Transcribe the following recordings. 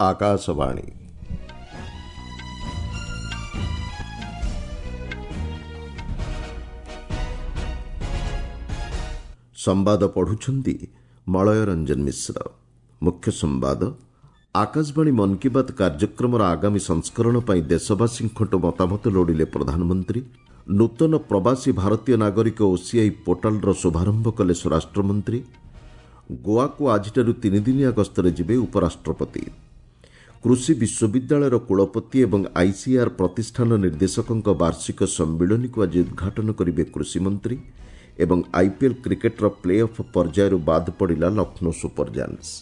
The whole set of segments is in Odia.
ଆକାଶବାଣୀ। ସମ୍ବାଦ ପଢୁଛନ୍ତି ମଳୟ ରଞ୍ଜନ ମିଶ୍ର। ମୁଖ୍ୟ ସମ୍ବାଦ, ଆକାଶବାଣୀ ମନ୍ କି ବାତ୍ କାର୍ଯ୍ୟକ୍ରମର ଆଗାମୀ ସଂସ୍କରଣ ପାଇଁ ଦେଶବାସୀଙ୍କଠୁ ମତାମତ ଲୋଡ଼ିଲେ ପ୍ରଧାନମନ୍ତ୍ରୀ। ନୂତନ ପ୍ରବାସୀ ଭାରତୀୟ ନାଗରିକ ଓସିଆଇ ପୋର୍ଟାଲର ଶୁଭାରମ୍ଭ କଲେ ସ୍ୱରାଷ୍ଟ୍ରମନ୍ତ୍ରୀ। ଗୋଆକୁ ଆଜିଠାରୁ ତିନିଦିନିଆ ଗସ୍ତରେ ଯିବେ ଉପରାଷ୍ଟ୍ରପତି। କୃଷି ବିଶ୍ୱବିଦ୍ୟାଳୟର କୁଳପତି ଏବଂ ଆଇସିଏଆର୍ ପ୍ରତିଷ୍ଠାନ ନିର୍ଦ୍ଦେଶକଙ୍କ ବାର୍ଷିକ ସମ୍ମିଳନୀକୁ ଆଜି ଉଦ୍ଘାଟନ କରିବେ କୃଷିମନ୍ତ୍ରୀ। ଏବଂ ଆଇପିଏଲ୍ କ୍ରିକେଟ୍ର ପ୍ଲେ ଅଫ୍ ପର୍ଯ୍ୟାୟରୁ ବାଦ୍ ପଡ଼ିଲା ଲକ୍ଷ୍ନୌ ସୁପର ଜାଏଣ୍ଟସ୍।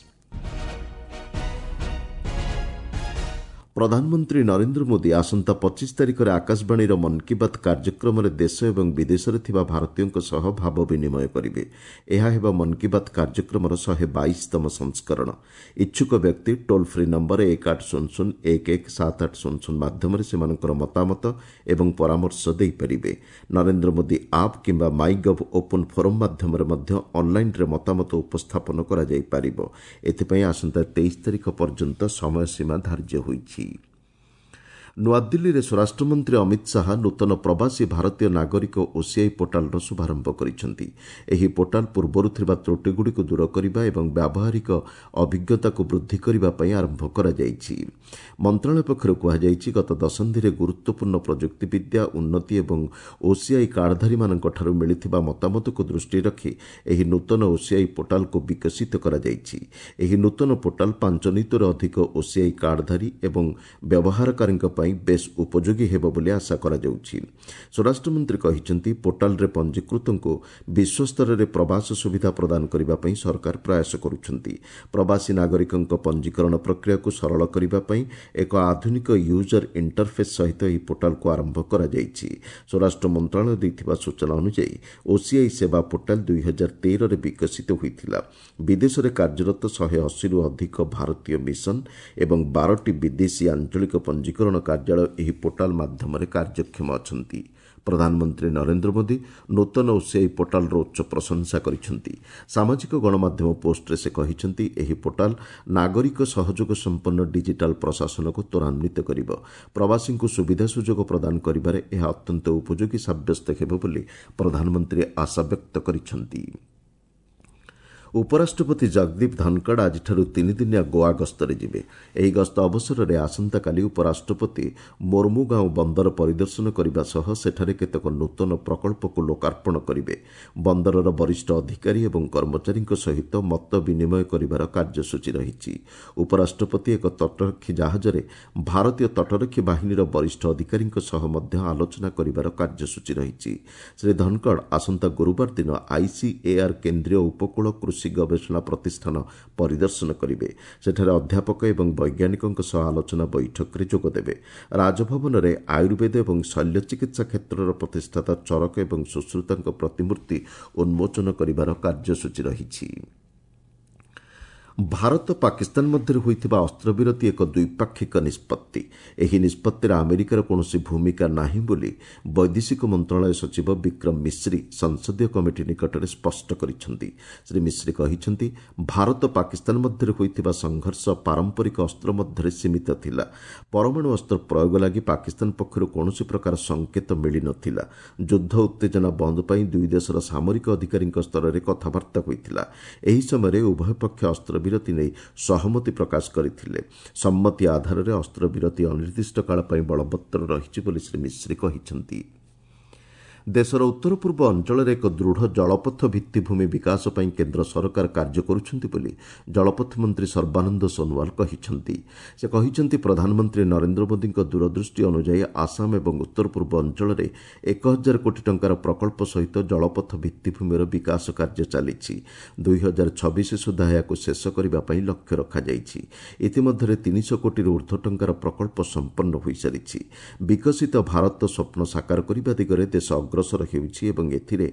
ପ୍ରଧାନମନ୍ତ୍ରୀ ନରେନ୍ଦ୍ର ମୋଦି ଆସନ୍ତା 25 ତାରିଖରେ ଆକାଶବାଣୀର ମନ୍ କି ବାତ୍ କାର୍ଯ୍ୟକ୍ରମରେ ଦେଶ ଏବଂ ବିଦେଶରେ ଥିବା ଭାରତୀୟଙ୍କ ସହ ଭାବ ବିନିମୟ କରିବେ। ଏହା ହେବ ମନ୍ କି ବାତ୍ କାର୍ଯ୍ୟକ୍ରମର 122ତମ ସଂସ୍କରଣ। ଇଚ୍ଛୁକ ବ୍ୟକ୍ତି ଟୋଲ୍ ଫ୍ରି ନମ୍ବର 1800117800 ମାଧ୍ୟମରେ ସେମାନଙ୍କର ମତାମତ ଏବଂ ପରାମର୍ଶ ଦେଇପାରିବେ। ନରେନ୍ଦ୍ର ମୋଦି ଆପ୍ କିମ୍ବା ମାଇ ଗଭ୍ ଓପନ୍ ଫୋରମ୍ ମାଧ୍ୟମରେ ମଧ୍ୟ ଅନ୍ଲାଇନ୍ରେ ମତାମତ ଉପସ୍ଥାପନ କରାଯାଇପାରିବ। ଏଥିପାଇଁ ଆସନ୍ତା 23 ତାରିଖ ପର୍ଯ୍ୟନ୍ତ ସମୟସୀମା ଧାର୍ଯ୍ୟ ହୋଇଛି। ନୂଆଦିଲ୍ଲୀରେ ସ୍ୱରାଷ୍ଟ୍ରମନ୍ତ୍ରୀ ଅମିତ ଶାହା ନୂତନ ପ୍ରବାସୀ ଭାରତୀୟ ନାଗରିକ ଓସିଆଇ ପୋର୍ଟାଲର ଶୁଭାରମ୍ଭ କରିଛନ୍ତି। ଏହି ପୋର୍ଟାଲ ପୂର୍ବରୁ ଥିବା ତ୍ରୁଟିଗୁଡ଼ିକୁ ଦୂର କରିବା ଏବଂ ବ୍ୟାବହାରିକ ଅଭିଜ୍ଞତାକୁ ବୃଦ୍ଧି କରିବା ପାଇଁ ଆରମ୍ଭ କରାଯାଇଛି। ମନ୍ତ୍ରଣାଳୟ ପକ୍ଷରୁ କୁହାଯାଇଛି, ଗତ ଦଶନ୍ଧିରେ ଗୁରୁତ୍ୱପୂର୍ଣ୍ଣ ପ୍ରଯୁକ୍ତିବିଦ୍ୟା ଉନ୍ନତି ଏବଂ ଓସିଆଇ କାର୍ଡଧାରୀମାନଙ୍କଠାରୁ ମିଳିଥିବା ମତାମତକୁ ଦୃଷ୍ଟିରେ ରଖି ଏହି ନୂତନ ଓସିଆଇ ପୋର୍ଟାଲକୁ ବିକଶିତ କରାଯାଇଛି। ଏହି ନୂତନ ପୋର୍ଟାଲ 5 ନିୟୁତରୁ ଅଧିକ ଓସିଆଇ କାର୍ଡଧାରୀ ଏବଂ ବ୍ୟବହାରକାରୀଙ୍କ ପାଇଁ ବେଶ୍ ଉପଯୋଗୀ ହେବ ବୋଲି ଆଶା କରାଯାଉଛି। ସ୍ୱରାଷ୍ଟ୍ରମନ୍ତ୍ରୀ କହିଛନ୍ତି, ପୋର୍ଟାଲରେ ପଞ୍ଜୀକୃତଙ୍କୁ ବିଶ୍ୱସ୍ତରରେ ପ୍ରବାସ ସୁବିଧା ପ୍ରଦାନ କରିବା ପାଇଁ ସରକାର ପ୍ରୟାସ କରୁଛନ୍ତି। ପ୍ରବାସୀ ନାଗରିକଙ୍କ ପଞ୍ଜୀକରଣ ପ୍ରକ୍ରିୟାକୁ ସରଳ କରିବା ପାଇଁ ଏକ ଆଧୁନିକ ୟୁଜର ଇଣ୍ଟରଫେସ୍ ସହିତ ଏହି ପୋର୍ଟାଲକୁ ଆରମ୍ଭ କରାଯାଇଛି। ସ୍ୱରାଷ୍ଟ୍ର ମନ୍ତ୍ରଣାଳୟ ଦେଇଥିବା ସୂଚନା ଅନୁଯାୟୀ, ଓସିଆଇ ସେବା ପୋର୍ଟାଲ 2013ରେ ବିକଶିତ ହୋଇଥିଲା। ବିଦେଶରେ କାର୍ଯ୍ୟରତ 180ରୁ ଅଧିକ ଭାରତୀୟ ମିଶନ ଏବଂ 12ଟି ବିଦେଶୀ ଆଞ୍ଚଳିକ ପଞ୍ଜୀକରଣ କାର୍ଯ୍ୟାଳୟ ଏହି ପୋର୍ଟାଲ ମାଧ୍ୟମରେ କାର୍ଯ୍ୟକ୍ଷମ ଅଛନ୍ତି। ପ୍ରଧାନମନ୍ତ୍ରୀ ନରେନ୍ଦ୍ର ମୋଦି ନୂତନ ଓସିଆଇ ପୋର୍ଟାଲର ଉଚ୍ଚ ପ୍ରଶଂସା କରିଛନ୍ତି। ସାମାଜିକ ଗଣମାଧ୍ୟମ ପୋଷ୍ଟରେ ସେ କହିଛନ୍ତି, ଏହି ପୋର୍ଟାଲ ନାଗରିକ ସହଯୋଗ ସମ୍ପନ୍ନ ଡିଜିଟାଲ ପ୍ରଶାସନକୁ ତ୍ୱରାନ୍ୱିତ କରିବ। ପ୍ରବାସୀଙ୍କୁ ସୁବିଧା ସୁଯୋଗ ପ୍ରଦାନ କରିବାରେ ଏହା ଅତ୍ୟନ୍ତ ଉପଯୋଗୀ ସାବ୍ୟସ୍ତ ହେବ ବୋଲି ପ୍ରଧାନମନ୍ତ୍ରୀ ଆଶାବ୍ୟକ୍ତ କରିଛନ୍ତି। ଉପରାଷ୍ଟ୍ରପତି ଜଗଦୀପ ଧନଖଡ଼ ଆଜିଠାରୁ ତିନିଦିନିଆ ଗୋଆ ଗସ୍ତରେ ଯିବେ। ଏହି ଗସ୍ତ ଅବସରରେ ଆସନ୍ତାକାଲି ଉପରାଷ୍ଟ୍ରପତି ମୋର୍ମୁଗାଓଁ ବନ୍ଦର ପରିଦର୍ଶନ କରିବା ସହ ସେଠାରେ କେତେକ ନୂତନ ପ୍ରକଳ୍ପକୁ ଲୋକାର୍ପଣ କରିବେ। ବନ୍ଦରର ବରିଷ୍ଠ ଅଧିକାରୀ ଏବଂ କର୍ମଚାରୀଙ୍କ ସହିତ ମତ ବିନିମୟ କରିବାର କାର୍ଯ୍ୟସୂଚୀ ରହିଛି। ଉପରାଷ୍ଟ୍ରପତି ଏକ ତଟରକ୍ଷୀ ଜାହାଜରେ ଭାରତୀୟ ତଟରକ୍ଷୀ ବାହିନୀର ବରିଷ୍ଠ ଅଧିକାରୀଙ୍କ ସହ ମଧ୍ୟ ଆଲୋଚନା କରିବାର କାର୍ଯ୍ୟସୂଚୀ ରହିଛି। ଶ୍ରୀ ଧନଖଡ଼ ଆସନ୍ତା ଗୁରୁବାର ଦିନ ଆଇସିଏଆର୍ କେନ୍ଦ୍ରୀୟ ଉପକୂଳ କୃଷି ଗବେଷଣା ପ୍ରତିଷ୍ଠାନ ପରିଦର୍ଶନ କରିବେ। ସେଠାରେ ଅଧ୍ୟାପକ ଏବଂ ବୈଜ୍ଞାନିକଙ୍କ ସହ ଆଲୋଚନା ବୈଠକରେ ଯୋଗଦେବେ। ରାଜଭବନରେ ଆୟୁର୍ବେଦ ଏବଂ ଶଲ୍ୟ ଚିକିତ୍ସା କ୍ଷେତ୍ରର ପ୍ରତିଷ୍ଠାତା ଚରକ ଏବଂ ସୁଶ୍ରୁତଙ୍କ ପ୍ରତିମୂର୍ତ୍ତି ଉନ୍ମୋଚନ କରିବାର କାର୍ଯ୍ୟସୂଚୀ ରହିଛି। ଭାରତ ପାକିସ୍ତାନ ମଧ୍ୟରେ ହୋଇଥିବା ଅସ୍ତ୍ରବିରତି ଏକ ଦ୍ୱିପାକ୍ଷିକ ନିଷ୍ପତ୍ତି। ଏହି ନିଷ୍ପତ୍ତିରେ ଆମେରିକାର କୌଣସି ଭୂମିକା ନାହିଁ ବୋଲି ବୈଦେଶିକ ମନ୍ତ୍ରଣାଳୟ ସଚିବ ବିକ୍ରମ ମିଶ୍ରି ସଂସଦୀୟ କମିଟି ନିକଟରେ ସ୍ପଷ୍ଟ କରିଛନ୍ତି। ଶ୍ରୀ ମିଶ୍ରି କହିଛନ୍ତି, ଭାରତ ପାକିସ୍ତାନ ମଧ୍ୟରେ ହୋଇଥିବା ସଂଘର୍ଷ ପାରମ୍ପରିକ ଅସ୍ତ୍ର ମଧ୍ୟରେ ସୀମିତ ଥିଲା। ପରମାଣୁ ଅସ୍ତ୍ର ପ୍ରୟୋଗ ଲାଗି ପାକିସ୍ତାନ ପକ୍ଷରୁ କୌଣସି ପ୍ରକାର ସଙ୍କେତ ମିଳିନଥିଲା। ଯୁଦ୍ଧ ଉତ୍ତେଜନା ବନ୍ଦ ପାଇଁ ଦୁଇ ଦେଶର ସାମରିକ ଅଧିକାରୀଙ୍କ ସ୍ତରରେ କଥାବାର୍ତ୍ତା ହୋଇଥିଲା। ଏହି ସମୟରେ ଉଭୟ ପକ୍ଷ ଅସ୍ତ୍ରବିରତି ନେଇ ସହମତି ପ୍ରକାଶ କରିଥିଲେ। ସମ୍ମତି ଆଧାରରେ ଅସ୍ତ୍ରବିରତି ଅନିର୍ଦ୍ଦିଷ୍ଟ କାଳ ପାଇଁ ବଳବତ୍ତର ରହିଛି ବୋଲି ଶ୍ରୀ ମିଶ୍ରି କହିଛନ୍ତି। ଦେଶର ଉତ୍ତର ପୂର୍ବ ଅଞ୍ଚଳରେ ଏକ ଦୃଢ଼ ଜଳପଥ ଭିତ୍ତିଭୂମି ବିକାଶ ପାଇଁ କେନ୍ଦ୍ର ସରକାର କାର୍ଯ୍ୟ କରୁଛନ୍ତି ବୋଲି ଜଳପଥ ମନ୍ତ୍ରୀ ସର୍ବାନନ୍ଦ ସୋନୋୱାଲ କହିଛନ୍ତି। ସେ କହିଛନ୍ତି, ପ୍ରଧାନମନ୍ତ୍ରୀ ନରେନ୍ଦ୍ର ମୋଦିଙ୍କ ଦୂରଦୃଷ୍ଟି ଅନୁଯାୟୀ ଆସାମ ଏବଂ ଉତ୍ତର ପୂର୍ବ ଅଞ୍ଚଳରେ 1000 କୋଟି ଟଙ୍କାର ପ୍ରକଳ୍ପ ସହିତ ଜଳପଥ ଭିତ୍ତିଭୂମିର ବିକାଶ କାର୍ଯ୍ୟ ଚାଲିଛି। 2026 ସୁଦ୍ଧା ଏହାକୁ ଶେଷ କରିବା ପାଇଁ ଲକ୍ଷ୍ୟ ରଖାଯାଇଛି। ଇତିମଧ୍ୟରେ 300 କୋଟିରୁ ଉର୍ଦ୍ଧ୍ୱ ଟଙ୍କାର ପ୍ରକଳ୍ପ ସମ୍ପନ୍ନ ହୋଇସାରିଛି। ବିକଶିତ ଭାରତ ସ୍ୱପ୍ନ ସାକାର କରିବା ଦିଗରେ ଦେଶ ଅଗ୍ରସର ହେଉଛି ଏବଂ ଏଥିରେ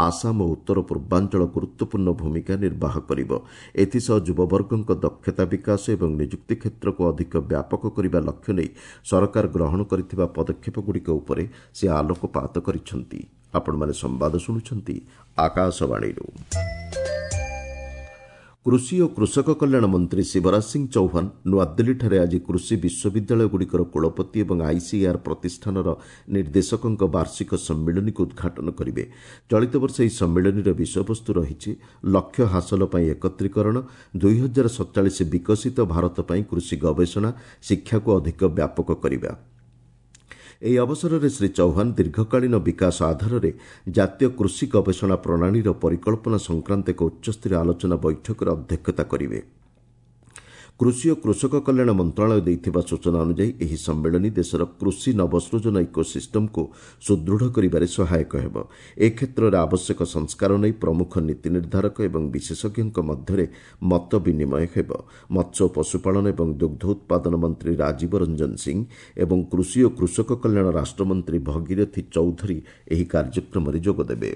ଆସାମ ଓ ଉତ୍ତର ପୂର୍ବାଞ୍ଚଳ ଗୁରୁତ୍ୱପୂର୍ଣ୍ଣ ଭୂମିକା ନିର୍ବାହ କରିବ। ଏଥିସହ ଯୁବବର୍ଗଙ୍କ ଦକ୍ଷତା ବିକାଶ ଏବଂ ନିଯୁକ୍ତି କ୍ଷେତ୍ରକୁ ଅଧିକ ବ୍ୟାପକ କରିବା ଲକ୍ଷ୍ୟ ନେଇ ସରକାର ଗ୍ରହଣ କରିଥିବା ପଦକ୍ଷେପଗୁଡ଼ିକ ଉପରେ ସେ ଆଲୋକପାତ କରିଛନ୍ତି। ଆପଣମାନେ ସମ୍ବାଦ ଶୁଣୁଛନ୍ତି ଆକାଶବାଣୀରୁ। କୃଷି ଓ କୃଷକ କଲ୍ୟାଣ ମନ୍ତ୍ରୀ ଶିବରାଜ ସିଂ ଚୌହାନ ନୂଆଦିଲ୍ଲୀଠାରେ ଆଜି କୃଷି ବିଶ୍ୱବିଦ୍ୟାଳୟଗୁଡ଼ିକର କୁଳପତି ଏବଂ ଆଇସିଏଆର୍ ପ୍ରତିଷ୍ଠାନର ନିର୍ଦ୍ଦେଶକଙ୍କ ବାର୍ଷିକ ସମ୍ମିଳନୀକୁ ଉଦ୍ଘାଟନ କରିବେ। ଚଳିତ ବର୍ଷ ଏହି ସମ୍ମିଳନୀର ବିଷୟବସ୍ତୁ ରହିଛି ଲକ୍ଷ୍ୟ ହାସଲ ପାଇଁ ଏକତ୍ରୀକରଣ, 2047 ବିକଶିତ ଭାରତ ପାଇଁ କୃଷି ଗବେଷଣା ଶିକ୍ଷାକୁ ଅଧିକ ବ୍ୟାପକ କରିବା। ଏହି ଅବସରରେ ଶ୍ରୀ ଚୌହାନ ଦୀର୍ଘକାଳୀନ ବିକାଶ ଆଧାରରେ ଜାତୀୟ କୃଷି ଗବେଷଣା ପ୍ରଣାଳୀର ପରିକଳ୍ପନା ସଂକ୍ରାନ୍ତ ଏକ ଉଚ୍ଚସ୍ତରୀୟ ଆଲୋଚନା ବୈଠକରେ ଅଧ୍ୟକ୍ଷତା କରିବେ। କୃଷି ଓ କୃଷକ କଲ୍ୟାଣ ମନ୍ତ୍ରଣାଳୟ ଦେଇଥିବା ସୂଚନା ଅନୁଯାୟୀ ଏହି ସମ୍ମିଳନୀ ଦେଶର କୃଷି ନବସୃଜନ ଇକୋସିଷ୍ଟମକୁ ସୁଦୃଢ଼ କରିବାରେ ସହାୟକ ହେବ। ଏ କ୍ଷେତ୍ରରେ ଆବଶ୍ୟକ ସଂସ୍କାର ନେଇ ପ୍ରମୁଖ ନୀତି ନିର୍ଦ୍ଧାରକ ଏବଂ ବିଶେଷଜ୍ଞଙ୍କ ମଧ୍ୟରେ ମତ ବିନିମୟ ହେବ। ମତ୍ସ୍ୟ ଓ ପଶୁପାଳନ ଏବଂ ଦୁଗ୍ଧ ଉତ୍ପାଦନ ମନ୍ତ୍ରୀ ରାଜୀବ ରଞ୍ଜନ ସିଂ ଏବଂ କୃଷି ଓ କୃଷକ କଲ୍ୟାଣ ରାଷ୍ଟ୍ରମନ୍ତ୍ରୀ ଭଗୀରଥୀ ଚୌଧୁରୀ ଏହି କାର୍ଯ୍ୟକ୍ରମରେ ଯୋଗଦେବେ।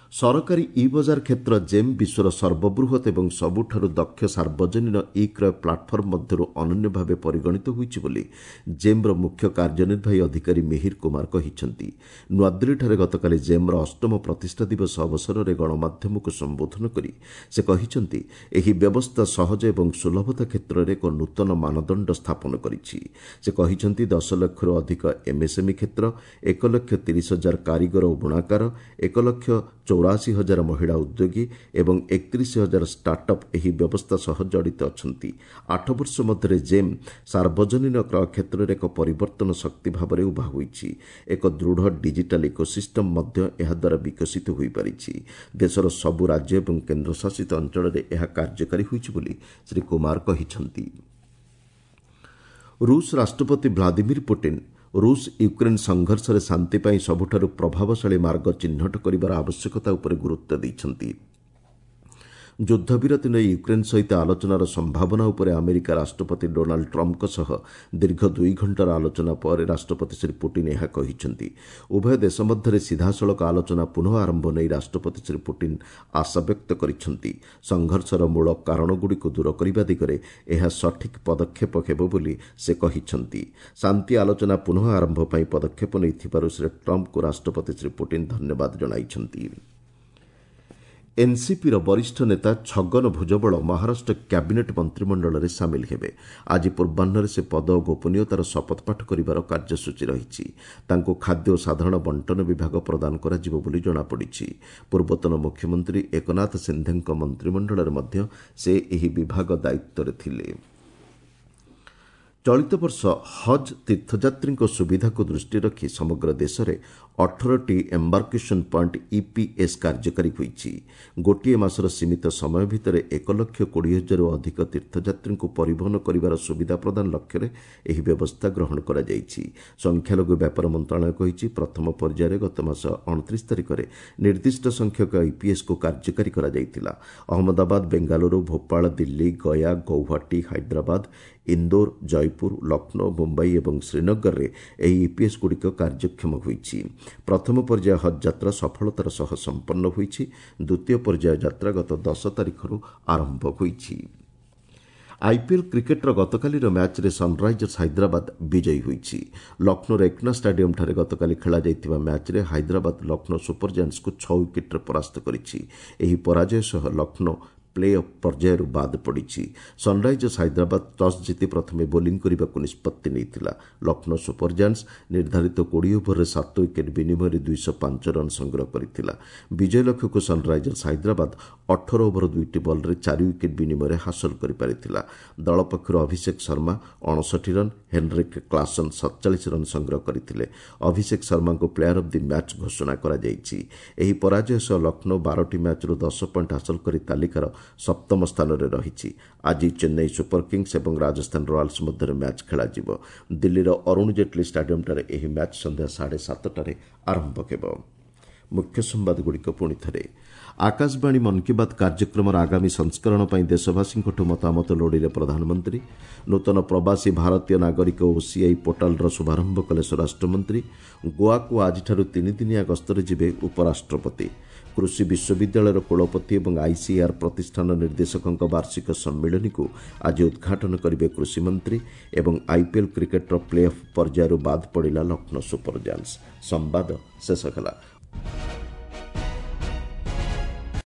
ସରକାରୀ ଇ ବଜାର କ୍ଷେତ୍ର ଜେମ୍ ବିଶ୍ୱର ସର୍ବବୃହତ୍ ଏବଂ ସବୁଠାରୁ ଦକ୍ଷ ସାର୍ବଜନୀନ ଇ କ୍ରୟ ପ୍ଲାଟଫର୍ମ ମଧ୍ୟରୁ ଅନନ୍ୟ ଭାବେ ପରିଗଣିତ ହୋଇଛି ବୋଲି ଜେମ୍ର ମୁଖ୍ୟ କାର୍ଯ୍ୟନିର୍ବାହୀ ଅଧିକାରୀ ମିହିର କୁମାର କହିଛନ୍ତି। ନୂଆଦିଲ୍ଲୀଠାରେ ଗତକାଲି ଜେମ୍ର ଅଷ୍ଟମ ପ୍ରତିଷ୍ଠା ଦିବସ ଅବସରରେ ଗଣମାଧ୍ୟମକୁ ସମ୍ବୋଧନ କରି ସେ କହିଛନ୍ତି, ଏହି ବ୍ୟବସ୍ଥା ସହଜ ଏବଂ ସୁଲଭତା କ୍ଷେତ୍ରରେ ଏକ ନୂତନ ମାନଦଣ୍ଡ ସ୍ଥାପନ କରିଛି। ସେ କହିଛନ୍ତି, 10 ଲକ୍ଷରୁ ଅଧିକ ଏମ୍ଏସ୍ଏମ୍ଇ କ୍ଷେତ୍ର, 1,30,000 କାରିଗର ଓ ବୁଣାକାର, 1,84,000 ମହିଳା ଉଦ୍ୟୋଗୀ ଏବଂ 31,000 ଷ୍ଟାର୍ଟଅପ୍ ଏହି ବ୍ୟବସ୍ଥା ସହ ଜଡ଼ିତ ଅଛନ୍ତି। 8 ବର୍ଷ ମଧ୍ୟରେ ଜେମ୍ ସାର୍ବଜନୀନ କ୍ରୟ କ୍ଷେତ୍ରରେ ଏକ ପରିବର୍ତ୍ତନ ଶକ୍ତି ଭାବରେ ଉଭା ହୋଇଛି। ଏକ ଦୃଢ଼ ଡିଜିଟାଲ ଇକୋସିଷ୍ଟମ୍ ମଧ୍ୟ ଏହାଦ୍ୱାରା ବିକଶିତ ହୋଇପାରିଛି। ଦେଶର ସବୁ ରାଜ୍ୟ ଏବଂ କେନ୍ଦ୍ରଶାସିତ ଅଞ୍ଚଳରେ ଏହା କାର୍ଯ୍ୟକାରୀ ହୋଇଛି ବୋଲି ଶ୍ରୀ କୁମାର କହିଛନ୍ତି। ରୁଷ ରାଷ୍ଟ୍ରପତି ଭ୍ଲାଦିମିର ପୁଟିନ୍ ରୁଷ ୟୁକ୍ରେନ୍ ସଂଘର୍ଷରେ ଶାନ୍ତି ପାଇଁ ସବୁଠାରୁ ପ୍ରଭାବଶାଳୀ ମାର୍ଗ ଚିହ୍ନଟ କରିବାର ଆବଶ୍ୟକତା ଉପରେ ଗୁରୁତ୍ୱ ଦେଇଛନ୍ତି। ଯୁଦ୍ଧବିରତି ନେଇ ୟୁକ୍ରେନ୍ ସହିତ ଆଲୋଚନାର ସମ୍ଭାବନା ଉପରେ ଆମେରିକା ରାଷ୍ଟ୍ରପତି ଡୋନାଲ୍ଡ ଟ୍ରମ୍ପଙ୍କ ସହ ଦୀର୍ଘ 2 ଘଣ୍ଟାର ଆଲୋଚନା ପରେ ରାଷ୍ଟ୍ରପତି ଶ୍ରୀ ପୁଟିନ୍ ଏହା କହିଛନ୍ତି। ଉଭୟ ଦେଶ ମଧ୍ୟରେ ସିଧାସଳଖ ଆଲୋଚନା ପୁନଃ ଆରମ୍ଭ ନେଇ ରାଷ୍ଟ୍ରପତି ଶ୍ରୀ ପୁଟିନ୍ ଆଶାବ୍ୟକ୍ତ କରିଛନ୍ତି। ସଂଘର୍ଷର ମୂଳ କାରଣଗୁଡ଼ିକୁ ଦୂର କରିବା ଦିଗରେ ଏହା ସଠିକ୍ ପଦକ୍ଷେପ ହେବ ବୋଲି ସେ କହିଛନ୍ତି। ଶାନ୍ତି ଆଲୋଚନା ପୁନଃ ଆରମ୍ଭ ପାଇଁ ପଦକ୍ଷେପ ନେଇଥିବାରୁ ଶ୍ରୀ ଟ୍ରମ୍ପଙ୍କୁ ରାଷ୍ଟ୍ରପତି ଶ୍ରୀ ପୁଟିନ୍ ଧନ୍ୟବାଦ ଜଣାଇଛନ୍ତି। ଏନ୍ସିପିର ବରିଷ୍ଠ ନେତା ଛଗନ ଭୁଜବଳ ମହାରାଷ୍ଟ୍ର କ୍ୟାବିନେଟ୍ ମନ୍ତ୍ରିମଣ୍ଡଳରେ ସାମିଲ ହେବେ। ଆଜି ପୂର୍ବାହ୍ନରେ ସେ ପଦ ଓ ଗୋପନୀୟତାର ଶପଥପାଠ କରିବାର କାର୍ଯ୍ୟସୂଚୀ ରହିଛି। ତାଙ୍କୁ ଖାଦ୍ୟ ଓ ସାଧାରଣ ବଣ୍ଟନ ବିଭାଗ ପ୍ରଦାନ କରାଯିବ ବୋଲି ଜଣାପଡ଼ିଛି। ପୂର୍ବତନ ମୁଖ୍ୟମନ୍ତ୍ରୀ ଏକନାଥ ସିନ୍ଧେଙ୍କ ମନ୍ତ୍ରିମଣ୍ଡଳରେ ମଧ୍ୟ ସେ ଏହି ବିଭାଗ ଦାୟିତ୍ୱରେ ଥିଲେ। ଚଳିତ ବର୍ଷ ହଜ୍ ତୀର୍ଥଯାତ୍ରୀଙ୍କ ସୁବିଧାକୁ ଦୃଷ୍ଟିରେ ରଖି ସମଗ୍ର ଦେଶରେ 18ଟି ଏମ୍ବାର୍କେସନ୍ ପଏଣ୍ଟ ଇପିଏସ୍ କାର୍ଯ୍ୟକାରୀ ହୋଇଛି। ଗୋଟିଏ ମାସର ସୀମିତ ସମୟ ଭିତରେ 1,20,000ରୁ ଅଧିକ ତୀର୍ଥଯାତ୍ରୀଙ୍କୁ ପରିବହନ କରିବାର ସୁବିଧା ପ୍ରଦାନ ଲକ୍ଷ୍ୟରେ ଏହି ବ୍ୟବସ୍ଥା ଗ୍ରହଣ କରାଯାଇଛି। ସଂଖ୍ୟାଲଘୁ ବ୍ୟାପାର ମନ୍ତ୍ରଣାଳୟ କହିଛି, ପ୍ରଥମ ପର୍ଯ୍ୟାୟରେ ଗତ ମାସ 29 ତାରିଖରେ ନିର୍ଦ୍ଦିଷ୍ଟ ସଂଖ୍ୟକ ଇପିଏସ୍କୁ କାର୍ଯ୍ୟକାରୀ କରାଯାଇଥିଲା। ଅହମ୍ମଦାବାଦ, ବେଙ୍ଗାଲୁରୁ, ଭୋପାଳ, ଦିଲ୍ଲୀ, ଗୟା, ଗୌହାଟୀ, ହାଇଦ୍ରାବାଦ, ଇନ୍ଦୋର, ଜୟପୁର, ଲକ୍ଷ୍ନୌ, ମୁମ୍ବାଇ ଏବଂ ଶ୍ରୀନଗରରେ ଏହି ଇପିଏସ୍ଗୁଡ଼ିକ କାର୍ଯ୍ୟକ୍ଷମ ହୋଇଛି। ପ୍ରଥମ ପର୍ଯ୍ୟାୟ ହଜ୍ ଯାତ୍ରା ସଫଳତାର ସହ ସମ୍ପନ୍ନ ହୋଇଛି। ଦ୍ୱିତୀୟ ପର୍ଯ୍ୟାୟ ଯାତ୍ରା ଗତ 10 ତାରିଖରୁ ଆରମ୍ଭ ହୋଇଛି। ଆଇପିଏଲ୍ କ୍ରିକେଟ୍ର ଗତକାଲିର ମ୍ୟାଚ୍ରେ ସନ୍ରାଇଜର୍ସ ହାଇଦ୍ରାବାଦ ବିଜୟୀ ହୋଇଛି। ଲକ୍ଷ୍ନୌର ଏକନା ଷ୍ଟାଡିୟମ୍ଠାରେ ଗତକାଲି ଖେଳାଯାଇଥିବା ମ୍ୟାଚ୍ରେ ହାଇଦ୍ରାବାଦ ଲକ୍ଷ୍ନୌ ସୁପର ଜାଏଣ୍ଟସ୍କୁ 6 ୱିକେଟ୍ରେ ପରାସ୍ତ କରିଛି। ଏହି ପରାଜୟ ସହ ଲକ୍ଷ୍ନୌ ପ୍ଲେ ଅଫ୍ ପର୍ଯ୍ୟାୟରୁ ବାଦ୍ ପଡ଼ିଛି। ସନ୍ରାଇଜର୍ସ ହାଇଦ୍ରାବାଦ ଟସ୍ ଜିତି ପ୍ରଥମେ ବୋଲିଂ କରିବାକୁ ନିଷ୍ପତ୍ତି ନେଇଥିଲା। ଲକ୍ଷ୍ନୌ ସୁପର ଜାଏଣ୍ଟସ୍ ନିର୍ଦ୍ଧାରିତ 20 ଓଭରରେ 7 ୱିକେଟ୍ ବିନିମୟରେ 205 ରନ୍ ସଂଗ୍ରହ କରିଥିଲା। ବିଜୟ ଲକ୍ଷ୍ୟକୁ ସନ୍ରାଇଜର୍ସ ହାଇଦ୍ରାବାଦ 18 ଓଭର 2ଟି ବଲ୍ରେ 4 ୱିକେଟ୍ ବିନିମୟରେ ହାସଲ କରିପାରିଥିଲା। ଦଳ ପକ୍ଷରୁ ଅଭିଷେକ ଶର୍ମା 59 ରନ୍, ହେନରିକ୍ କ୍ଲାସନ୍ 47 ରନ୍ ସଂଗ୍ରହ କରିଥିଲେ। ଅଭିଷେକ ଶର୍ମାଙ୍କୁ ପ୍ଲେୟାର ଅଫ୍ the match ଘୋଷଣା କରାଯାଇଛି। ଏହି ପରାଜୟ ସହ ଲକ୍ଷ୍ନୌ 12ଟି ମ୍ୟାଚ୍ରୁ 10 ପଏଣ୍ଟ ହାସଲ କରି ତାଲିକାର 7ମ ସ୍ଥାନରେ ରହିଛି। ଆଜି ଚେନ୍ନାଇ ସୁପର କିଙ୍ଗସ୍ ଏବଂ ରାଜସ୍ଥାନ ରୟାଲ୍ସ ମଧ୍ୟରେ ମ୍ୟାଚ୍ ଖେଳାଯିବ। ଦିଲ୍ଲୀର ଅରୁଣ ଜେଟ୍ଲୀ ଷ୍ଟାଡିୟମ୍ଠାରେ ଏହି ମ୍ୟାଚ୍ ସନ୍ଧ୍ୟା 7:30ଟାରେ ଆରମ୍ଭ ହେବ। ମୁଖ୍ୟ ସମ୍ବାଦଗୁଡ଼ିକ ପୁଣି ଥରେ। ଆକାଶବାଣୀ ମନ୍ କି ବାତ୍ କାର୍ଯ୍ୟକ୍ରମର ଆଗାମୀ ସଂସ୍କରଣ ପାଇଁ ଦେଶବାସୀଙ୍କଠୁ ମତାମତ ଲୋଡ଼ିଲେ ପ୍ରଧାନମନ୍ତ୍ରୀ। ନୂତନ ପ୍ରବାସୀ ଭାରତୀୟ ନାଗରିକ ଓସିଆଇ ପୋର୍ଟାଲର ଶୁଭାରମ୍ଭ କଲେ ସ୍ୱରାଷ୍ଟ୍ରମନ୍ତ୍ରୀ। ଗୋଆକୁ ଆଜିଠାରୁ 3 ଦିନିଆ ଗସ୍ତରେ ଯିବେ ଉପରାଷ୍ଟ୍ରପତି। କୃଷି ବିଶ୍ୱବିଦ୍ୟାଳୟର କୁଳପତି ଏବଂ ଆଇସିଏଆର୍ ପ୍ରତିଷ୍ଠାନ ନିର୍ଦ୍ଦେଶକଙ୍କ ବାର୍ଷିକ ସମ୍ମିଳନୀକୁ ଆଜି ଉଦ୍ଘାଟନ କରିବେ କୃଷିମନ୍ତ୍ରୀ। ଏବଂ ଆଇପିଏଲ୍ କ୍ରିକେଟ୍ର ପ୍ଲେ ଅଫ୍ ପର୍ଯ୍ୟାୟରୁ ବାଦ୍ ପଡ଼ିଲା ଲକ୍ଷ୍ନୌ ସୁପର ଜାଏଣ୍ଟସ୍। ସମ୍ବାଦ ଶେଷ ହେଲା।